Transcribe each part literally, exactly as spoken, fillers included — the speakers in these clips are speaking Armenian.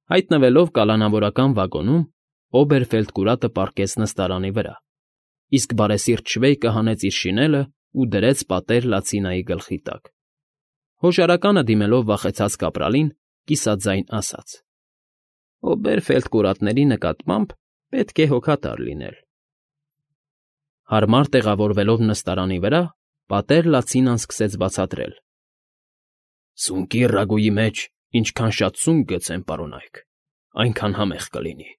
Հայտնվելով կալանավորական վագոնում, Օբերֆելդկուրատը պառկեց նստարանի վրա, իսկ բարեսիրտ Շվեյկը հանեց իր շինելն ու դրեց պատեր լացինայի գլխի տակ։ Հոժարականը դիմելով վախեցած կապրալին, կիսաձայն ասաց. ֊ Օբերֆելդկուրատների նկատմամբ պետք է հոգատար լինել։ Հարմար տեղավորվելով նստարանի վրա, պատեր լացինան սկսեց բացատրել. ֊ Սունկի ռագուի մեջ ինչքան շատ սունկ գցեն, պարոնայք, այնքան համեղ կլինի,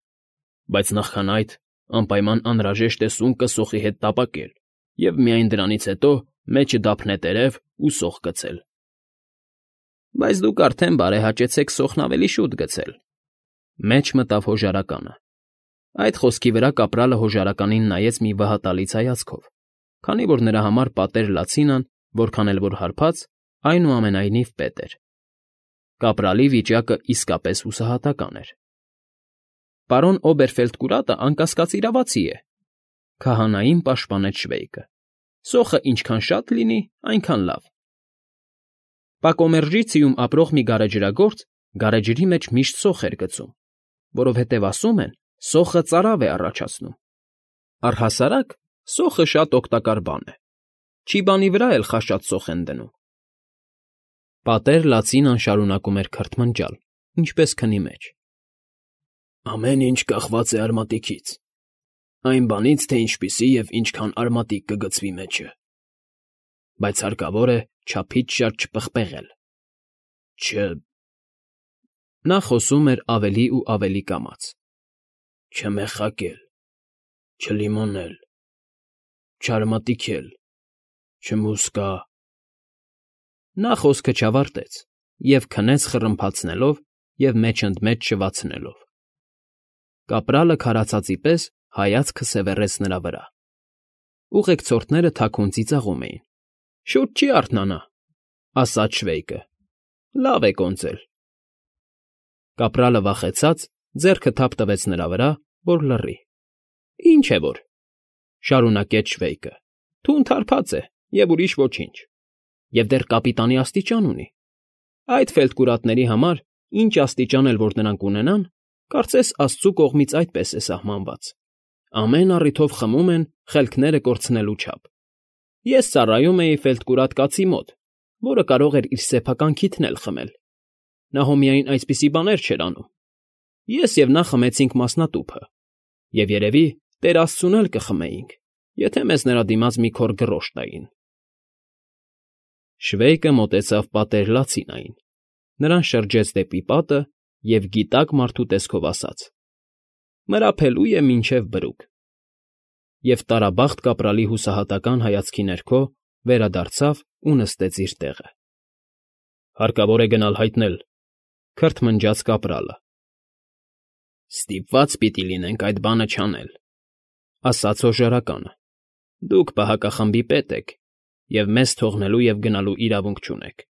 բայց նախքան այդ անպայման անհրաժեշտ է սունկը սոխի հետ տապակել և միայն դրանից հետո մեջը դափնետերև ու սոխ գցել։ ֊ Բայց դուք արդեն բարեհաճեցեք սոխն ավելի շուտ գցել,֊ մեջ մտավ հոժարականը։ Այդ խոսքի վրա կապրալը հոժարականին նայեց մի վհատալից հայացքով, քանի որ նրա համար պատեր լացինան, որքան էլ որ հարբած, այնուամենայնիվ պետ էր։ Կապրալի վիճակը իսկապես հուսահատական էր։ ֊ Պարոն Օբերֆելդկուրատը անկասկած իրավացի է,֊ քահանային պաշտպանեց Շվեյկը։ ֊ Սոխը ինչքան շատ լինի, այնքան լավ։ Պակոմերժիցիում ապրող մի գարեջրագործ գարեջրի մեջ միշտ սոխ էր գցում, որովհետև ասում են, սոխը ծարավ է առաջացնում։ Առհասարակ սոխը շատ օգտակար բան է, չիբանի վրա էլ խաշած սոխ են դնում։ Պատեր լացինան շարունակում էր քրթմնջալ, ինչպես քնի մեջ. Ամեն ինչ կախված է արմատիքից, այն բանից, թե ինչպիսի և ինչքան արմատիկ կգցվի մեջը, բայց հարկավոր է չափից շատ չպղպեղել, չ… Նա խոսում էր ավելի ու ավելի կամաց. չմեխակել, չլիմոնել, չարմատիքել, չմուսկա… Նա խոսքը չավարտեց և քնեց խռմփացնելով և մեջ֊ընդ մեջ շվացնելով։ Կապրալը քարացածի պես հայացքը սևեռեց նրա վրա։ Ուղեկցորդները թաքուն ծիծաղում էին։ ֊ Շուտ չի արթնանա,֊ ասաց Շվեյկը։ ֊ Լավ է կոնծել։ Կապրալը վախեցած ձեռքը թափ տվեց նրա վրա, որ լռի։ ֊ Ինչ է որ,֊ շարունակեց Շվեյկը,֊ թունդ հարբած է և ուրիշ ոչինչ, և դեռ կապիտանի աստիճան ունի։ Այդ ֆելդկուրատների համար, ինչ աստիճան էլ որ նրանք ունենան, կարծես աստծու կողմից այդպես է սահմանված. ամեն առիթով խմում են խելքները կորցնելու չափ։ Ես ծառայում էի ֆելդկուրատ կացի մոտ, որը կարող էր իր սեփական քիթն էլ խմել։ Նա հո միայն այսպիսի բաներ չէր անում։ Ես և նա խմեցինք մասնատուփը, և երևի Տեր աստծուն էլ կխմեինք, եթե մեզ նրա դիմաց մի քոռ գրոշ տային։ Շվեյկը մոտեցավ պատեր լացինային, նրան շրջեց դեպի պատը և գիտակ մարդու տեսքով ասաց. «Մրափելու է մինչև բրուկ», և տարաբախտ կապրալի հուսահատական հայացքի ներքո վերադարձավ ու նստեց իր տեղը։ ֊ Հարկավոր է գնալ հայտնել,֊ քրթմնջաց կապրալը։ ֊ Ստիպված պիտի լինենք այդ բանը չանել,֊ ասաց հոժարականը։ ֊ Դուք պահակախմբի պետ եք և մեզ թողնելու և գնալու իրավունք չունեք։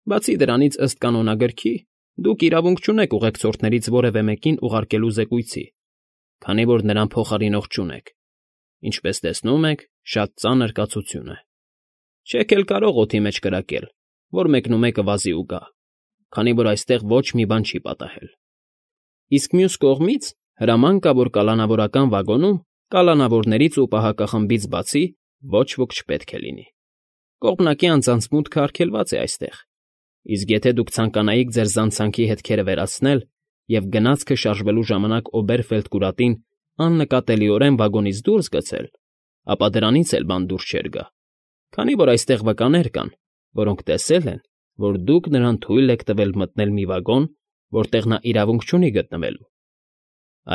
Բացի դրանից, ըստ կանոնագրքի, դուք իրավունք չունեք ուղեկցորդներից որևէ մեկին ուղարկելու զեկույցի, քանի որ նրան փոխարինող չունեք։ Ինչպես տեսնում եք, շատ ծանր կացություն է։ Չեք էլ կարող օդի մեջ կրակել, որ մեկնումեկը վազի ու գա, քանի որ այստեղ ոչ մի բան չի պատահել։ Իսկ մյուս կողմից հրաման կա, որ կալանավորական վագոնում կալանավորներից ու պահակախմբից բացի ոչ ոք չպետք է լինի։ Կողմնակի անձանց մուտքը արգելված է այստեղ, իսկ եթե դուք ցանկանայիք ձեր զանցանքի հետքերը վերացնել և գնացքը շարժվելու ժամանակ Օբերֆելդկուրատին աննկատելիորեն վագոնից դուրս գցել, ապա դրանից էլ բան դուրս չէր գա, քանի որ այստեղ վկաներ կան, որոնք տեսել են, որ դուք նրան թույլ եք տվել մտնել մի վագոն, որտեղ նա իրավունք չունի գտնվելու։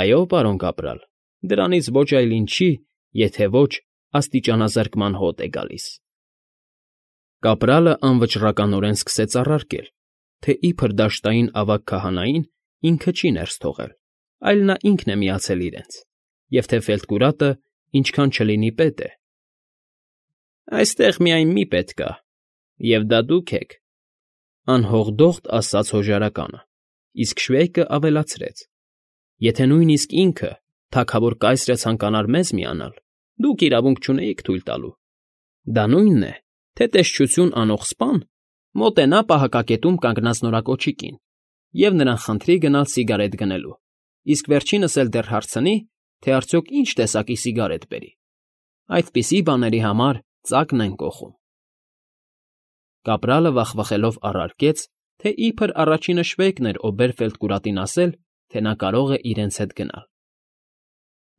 Այո, պարոն կապրալ, դրանից ոչ այլ ինչի, եթե ոչ աստիճանազրկման հոտ է գալիս։ Կապրալը անվճռականորեն սկսեց առարկել, թե իբր դաշտային ավագ քահանային ինքը չի ներս թողել, այլ նա ինքն է միացել իրենց, և թե ֆելդկուրատը ինչքան չլինի պետ է։ Այստեղ միայն մի պետ կա, և դա դուք եք,֊ անհողդողդ ասաց հոժարականը, իսկ Շվեյկը ավելացրեց. եթե նույնիսկ ինքը, թագավոր կայսրը ցանկանար մեզ միանալ, դուք իրավունք չունեիք թույլ տալու։ Դա նույնն է, թե տեսչություն անող սպան մոտենա պահակակետում կանգնած նորակոչիկին և նրան խնդրի գնալ սիգարետ գնելու, իսկ վերջինս էլ դեռ հարցնի, թե արդյոք ինչ տեսակի սիգարետ բերի. այդպիսի բաների համար ծակն են կոխում։ Կապրալը վախվխելով առարկեց, թե իբր առաջինը Շվեյկն էր Օբերֆելդկուրատին ասել, թե նա կարող է իրենց հետ գնալ։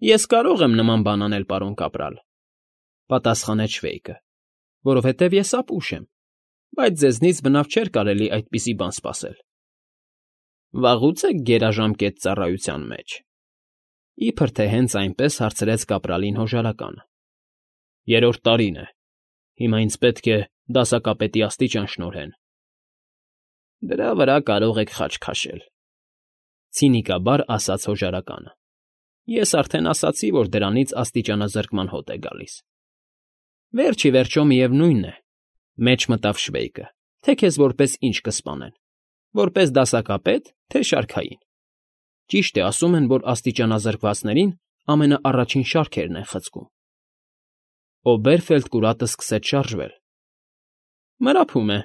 Ես կարող եմ նման բան անել, պարոն կապրալ, պատասխանեց Շվեյկը, որովհետև ես ապուշ եմ, բայց ձեզնից բնավ չէր կարելի այդպիսի բան սպասել։ Վաղուց եք գերաժամկետ ծառայության մեջ։ Իբր թե հենց այնպես հարցրեց կապրալին հոժարականը։ Երրորդ տարին է։ Հիմա ինձ պետք է դասակապետի աստիճան շնորհեն։ Դրա վրա կարող եք խաչ քաշել, ցինիկաբար ասաց հոժարականը։ Ես արդեն ասացի, որ դրանից աստիճանազրկման հոտ է գալիս։ Վերջ ի վերջո միևնույն է, մեջ մտավ Շվեյկը, թե քեզ որպես ինչ կսպանեն, որպես դասակապետ, թե շարքային։ Ճիշտ է, ասում են, որ աստիճանազրկվածներին ամենաառաջին շարքերն են խցկում։ Օբերֆելդկուրատը սկսեց շարժվել։ Մրափում է,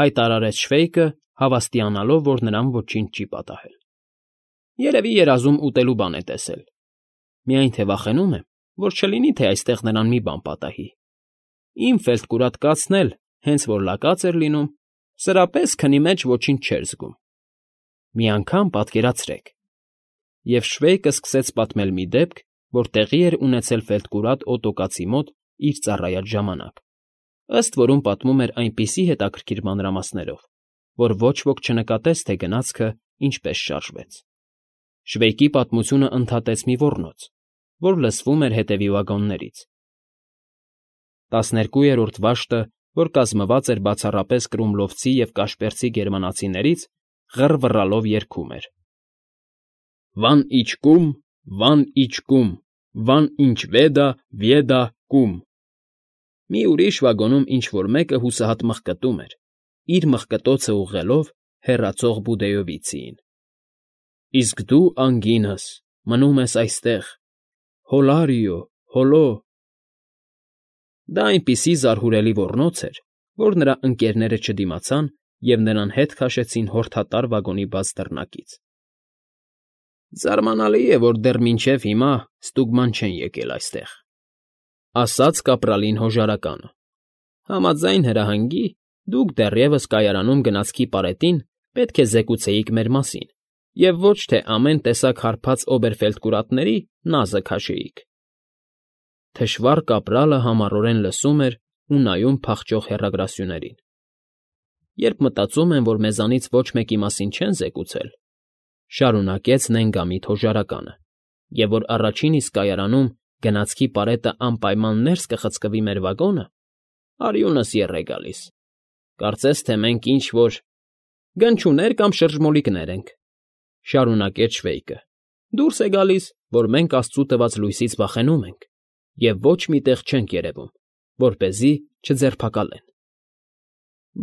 հայտարարեց Շվեյկը, հավաստիանալով, որ նրան ոչինչ չի պատահել։ Երևի երազում ուտելու բան է տեսել։ Միայն թե վախենում եմ, որ չլինի, թե այստեղ նրան մի բան պատահի։ Իմ ֆելդկուրատ կացն էլ, հենց որ լակած էր լինում, սրապես քնի մեջ ոչինչ չէր զգում։ Մի անգամ պատկերացրեք։ Եվ Շվեյկը սկսեց պատմել մի դեպք, որ տեղի էր ունեցել ֆելդկուրատ Օտոկացի մոտ իր ծառայած ժամանակ, ըստ որում պատմում էր այնպիսի հետաքրքիր մանրամասներով, որ ոչ ոք չնկատեց, թե գնացքը ինչպես շարժվեց։ Շվեյկի պատմությունը ընդհատեց մի ոռնոց, որ լսվում էր հետևի վագոններից։ Տասներկուերորդ վաշտը, որ կազմված էր բացառապես կրումլովցի և կաշպերցի գերմանացիներից, ղռվռալով երգում էր. Վան իչկում, վան իչկում, վան ինչ վեդա, վեդա կում։ Մի ուրիշ վագոնում ինչ֊որ մեկը հուսահատ մղկտում էր, իր մղկտոցը ուղղելով հեռացող Բուդեովիցիին։ Իսկ դու, անգինս, մնում ես այստեղ, հոլարիո, հոլո… Դա այնպիսի զարհուրելի ոռնոց էր, որ նրա ընկերները չդիմացան և նրան հետ քաշեցին հորդատար վագոնի բաց դռնակից։ Զարմանալի է, որ դեռ մինչև հիմա ստուգման չեն եկել այստեղ, ասաց կապրալին հոժարականը։ Համաձայն հրահանգի, դուք դեռևս կայարանում գնացքի պարետին պետք է զեկուցեիք մեր մասին և ոչ թե ամեն տեսակ հարբած օբերֆելդկուրատների նազը քաշեիք։ Թշվառ կապրալը համառորեն լսում էր ու նայում փախչող հեռագրասյուներին։ Երբ մտածում եմ, որ մեզանից ոչ մեկի մասին չեն զեկուցել, շարունակեց նենգամիտ հոժարականը, և որ առաջին իսկ կայարանում գնացքի պարետը անպայման ներս կխցկվի մեր վագոնը, արյունս եռ է գալիս։ Կարծես թե մենք ինչ֊որ գնչուներ կամ շրջմոլիկներ ենք, շարունակեց Շվեյկը։ Դուրս է գալիս, որ մենք աստծու տված լույսից վախենում ենք և ոչ մի տեղ չենք երևում, որպեսզի չձերբակալեն։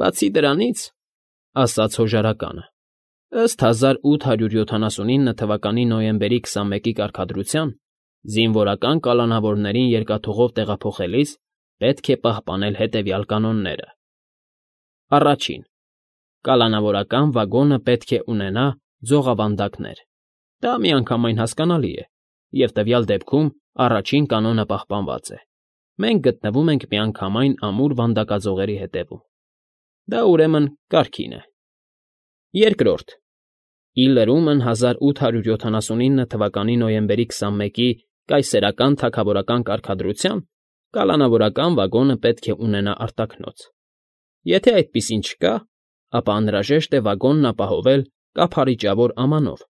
Բացի դրանից, ասաց հոժարականը, ըստ հազար ութ հարյուր յոթանասունինը թվականի նոյեմբերի քսանմեկի կարգադրության, զինվորական կալանավորներին երկաթուղով տեղափոխելիս պետք է պահպանել հետևյալ կանոնները. Առաջին. կալանավորական վագոնը պետք է ունենա ձողավանդակներ։ Դա միանգամայն հասկանալի է, և տվյալ դեպքում առաջին կանոնը պահպանված է։ Մենք գտնվում ենք միանգամայն ամուր վանդակաձողերի հետևում։ Դա ուրեմն կարգին է։ Երկրորդ. Ի լրումն հազար ութ հարյուր յոթանասունինը թվականի նոյեմբերի քսանմեկի կայսերական թագավորական կարգադրության կալանավորական վագոնը պետք է ունենա արտաքնոց։ Եթե այդպիսին չկա, ապա անհրաժեշտ է վագոնն ապահովել կափարիճավոր ամանով,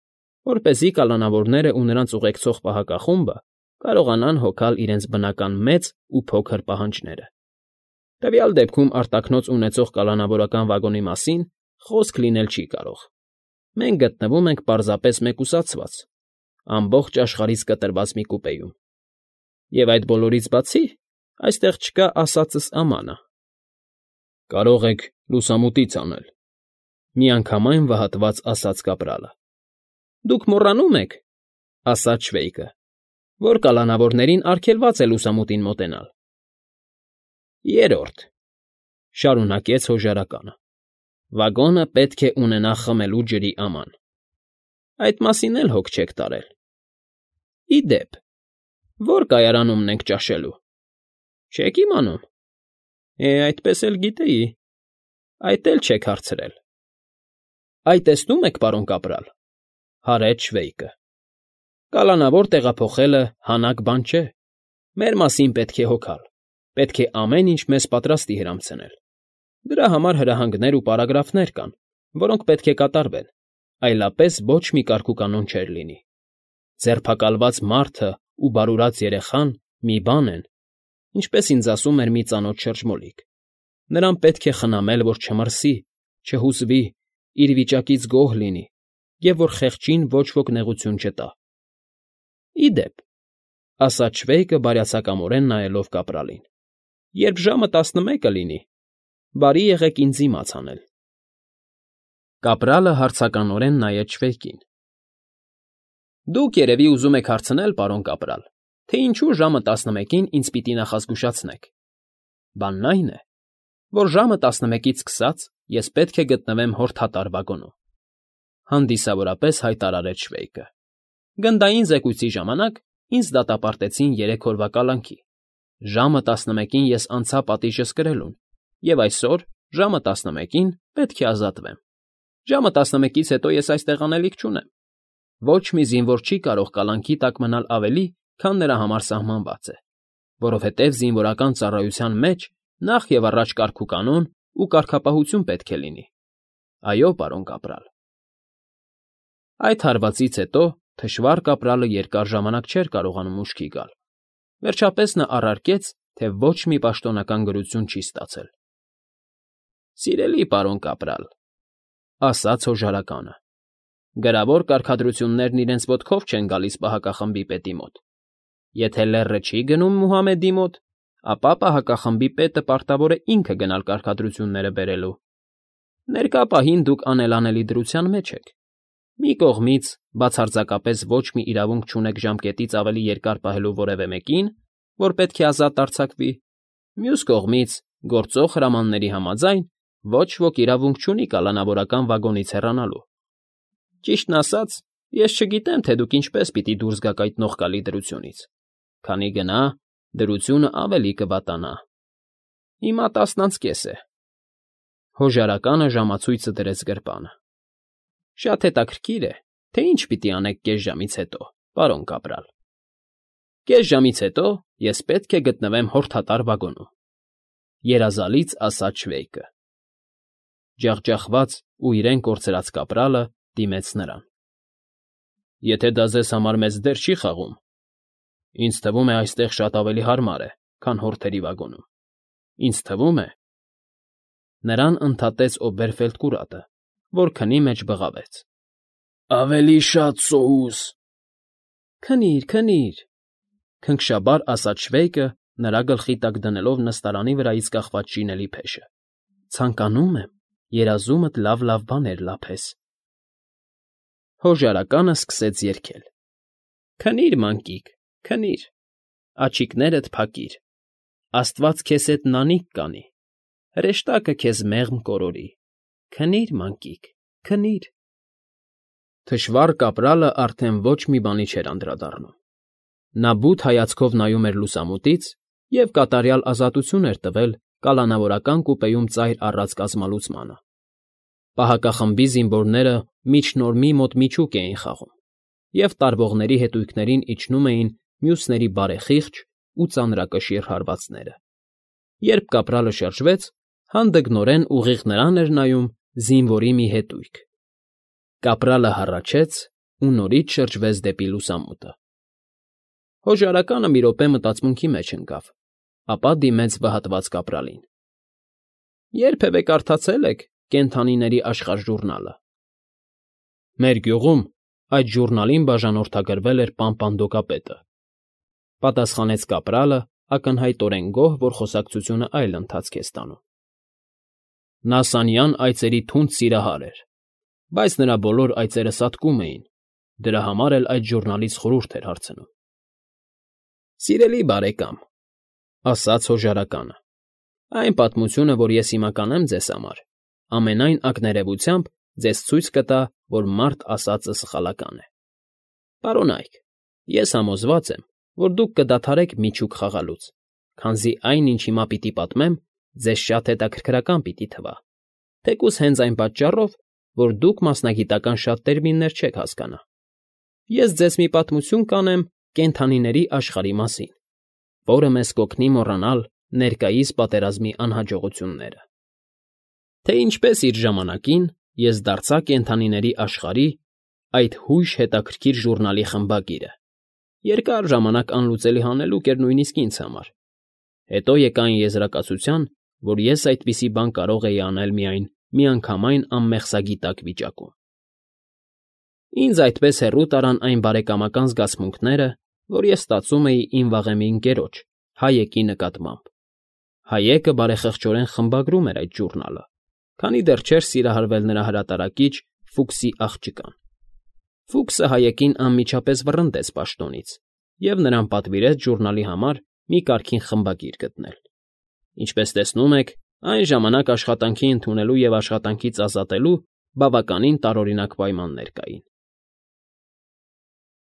որպեսզի կալանավորները ու նրանց ուղեկցող պահակախումբը կարողանան հոգալ իրենց բնական մեծ ու փոքր պահանջները։ Տվյալ դեպքում արտաքնոց ունեցող կալանավորական վագոնի մասին խոսք լինել չի կարող։ Մենք գտնվում ենք պարզապես մեկուսացված, ամբողջ աշխարհից կտրված մի կուպեում։ Եվ այդ բոլորից բացի, այստեղ չկա ասածս ամանը։ Կարող եք լուսամուտից անել, միանգամայն վհատված ասաց կապրալը։ Դուք մոռանում եք, ասաց Շվեյկը, որ կալանավորներին արգելված է լուսամուտին մոտենալ։ Երրորդ. շարունակեց հոժարականը. Վագոնը պետք է ունենա խմելու ջրի աման։ Այդ մասին էլ հոգ չեք տարել։ Ի դեպ, ո՞ր կայարանումն ենք ճաշելու։ Չե՞ք իմանում։ Է, այդպես էլ գիտեի, այդ էլ չեք հարցրել։ Այ տեսնում եք, պարոն կապրալ, հարեց Շվեյկը, կալանավոր տեղափոխելը հանակ բան չէ, մեր մասին պետք է հոգալ, պետք է ամեն ինչ մեզ պատրաստի հրամցնել։ Դրա համար հրահանգներ ու պարագրաֆներ կան, որոնք պետք է կատարվեն, այլապես ոչ մի կարգուկանոն չէր լինի։ Ձերբակալված մարդը ու բարուրած երեխան մի բան են, ինչպես ինձ ասում էր մի ծանոթ շրջմոլիկ. նրան պետք է խնամել, որ չմրսի, չհուզվի, իր վիճակից գոհ լինի և որ խեղճին ոչ ոք նեղություն չտա։ Ի դեպ, ասաց Շվեյկը բարյացակամորեն նայելով կապրալին, երբ ժամը տասնմեկը լինի, բարի եղեք ինձ իմաց անել։ Կապրալը հարցականորեն նայեց Շվեյկին։ Դուք երևի ուզում եք հարցնել, պարոն կապրալ, թե ինչու ժամը տասնմեկին ինձ պիտի նախազգուշացնեք։ Բանն այն է, որ ժամը տասնմեկից սկսած ես պետք է գտնվեմ հորդատար վագոնում, հանդիսավորապես հայտարարեց Շվեյկը։ Գնդային զեկույցի ժամանակ ինձ դատապարտեցին երեք օրվա կալանքի։ Ժամը տասնմեկին ես անցա պատիժս կրելուն, և այսօր ժամը տասնմեկին պետք է ազատվեմ։ Ժամը տասնմեկից հետո ես այստեղ անելիք չունեմ։ Ոչ մի զինվոր չի կարող կալանքի տակ մնալ ավելի, քան նրա համար սահմանված է, որովհետև զինվորական ծառայության մեջ նախ և առաջ կարգուկանոն ու կարգապահություն պետք է լինի։ Այո, պարոն կապրալ։ Այդ հարվածից հետո թշվառ կապրալը երկար ժամանակ չէր կարողանում ուշքի գալ։ Վերջապես նա առարկեց, թե ոչ մի պաշտոնական գրություն չի ստացել։ Սիրելի պարոն կապրալ, ասաց հոժարականը, գրավոր կարգադրություններն իրենց ոտքով չեն գալիս պահակախմբի պետի մոտ։ Եթե լեռը չի գնում Մուհամեդի մոտ, ապա պահակախմբի պետը պարտավոր է ինքը գնալ կարգադրությունները բերելու։ Ներկա պահին դուք անելանելի դրության մեջ եք։ Մի կողմից բացարձակապես ոչ մի իրավունք չունեք ժամկետից ավելի երկար պահելու որևէ մեկին, որ պետք է ազատ արձակվի, մյուս կողմից գործող հրամանների համաձայն ոչ ոք իրավունք չունի կալանավորական վագոնից հեռանալու։ Ճիշտն ասած, ես չգիտեմ, թե դուք ինչպես պիտի դուրս գաք այդ նողկալի դրությունից, քանի գնա դրությունը ավելի կվատանա։ Հիմա տասն անց կես է։ Հոժարականը ժամացույցը դրեց գրպանը։ Շատ հետաքրքիր է, թե ինչ պիտի անեք կես ժամից հետո, պարոն կապրալ։ Կես ժամից հետո ես պետք է գտնվեմ հորդատար վագոնում, երազալից ասաց Շվեյկը։ Ջախջախված ու իրեն կորցրած կապրալը դիմեց նրան։ Եթե դա ձեզ համար մեծ դեր չի խաղում, ինձ թվում է այստեղ շատ ավելի հարմար է, քան հորդերի վագոնում։ Ինձ թվում է… Նրան ընդհատեց Օբերֆելդկուրատը, որ քնի մեջ բղավեց. Ավելի շատ սոուս… Քնի՛ր, քնի՛ր, քնքշաբար ասաց Շվեյկը, նրա գլխի տակ դնելով նստարանի վրայից կախված շինելի փեշը։ Ցանկանում եմ երազումդ լավ֊լավ բաներ լափես։ Հոժարականը սկսեց երգել. Քնի՛ր, մանկիկ, քնի՛ր, աչիկներդ փակիր, Աստված քեզ հետ նանիք կանի, հրեշտակը քեզ մեղմ կորորի, քնի՛ր, մանկիկ, քնի՛ր։ Թշվառ կապրալը արդեն ոչ մի բանի չէր անդրադառնում։ Նա բութ հայացքով նայում էր լուսամուտից և կատարյալ ազատություն էր տվել կալանավորական կուպեում ծայր առած կազմալուծմանը։ Պահակախմբի զինվորները միջնորմի մոտ միջուկ էին խաղում, և տարվողների հետույքներին իջնում էին մյուսների բարեխիղճ ու ծանրակշիռ հարվածները։ Երբ կապրալը շրջվեց, հանդգնորեն ուղիղ նրան էր նայում զինվորի մի հետույք։ Կապրալը հառաչեց ու նորից շրջվեց դեպի լուսամուտը։ Հոժարականը մի րոպե մտածմունքի մեջ ընկավ, ապա դիմեց վհատված կապրալին. Երբևէ կարդացե՞լ եք Կենդանիների աշխարհ ժուռնալը։ Մեր գյուղում այդ ժուռնալին բաժանորդագրվել էր Պամպանդոկապետը, պատասխանեց կապրալը, ակնհայտորեն գոհ, որ խոսակցությունը այլ ընթացք է ստանում։ Նա սանյան այծերի թունդ սիրահար էր, բայց նրա բոլոր այծերը սատկում էին, դրա համար էլ այդ ժուռնալից խորհուրդ էր հարցնում։ Սիրելի բարեկամ, ասաց հոժարականը, այն պատմությունը, որ ես հիմա կանեմ ձեզ համար, ամենայն ակներևությամբ ձեզ ցույց կտա, որ մարդ ասածը սխալական է։ Պարոնայք, ես համոզված եմ, որ դուք կդադարեք միջուկ խաղալուց, քանզի այն, ինչ հիմա պիտի պատմեմ, ձեզ շատ հետաքրքրական պիտի թվա, թեկուզ հենց այն պատճառով, որ դուք մասնագիտական շատ տերմիններ չեք հասկանա։ Ես ձեզ մի պատմություն կանեմ կենդանիների աշխարհի մասին, որը մեզ կօգնի մոռանալ ներկայիս պատերազմի անհաջողությունները։ Թե ինչպես իր ժամանակին ես դարձա կենդանիների աշխարհի այդ հույժ հետաքրքիր ժուրնալի խմբագիրը, երկար ժամանակ անլուծելի հանելուկ էր նույնիսկ ինձ համար։ Հետո եկա այն եզրակացության, որ ես այդպիսի բան կարող էի անել միայն միանգամայն անմեղսագիտակ վիճակում։ Ինձ այդպես հեռու տարան այն բարեկամական զգացմունքները, որ ես ստացում էի իմ վաղեմի ընկերոջ՝ Հայեկի նկատմամբ։ Հայեկը բարեխղճորեն խմբագրում էր այդ ժուրնալը, քանի դեռ չէր սիրահարվել նրա հրատարակիչ Ֆուքսի աղջկան։ Ֆուքսը Հայեկին անմիջապես վռնդեց պաշտոնից և նրան պատվիրեց ժուրնալի համար մի կարգին խմբագիր գտնել։ Ինչպես տեսնում եք, այն ժամանակ աշխատանքի ընդունելու և աշխատանքից ազատելու բավականին տարօրինակ պայմաններ կային։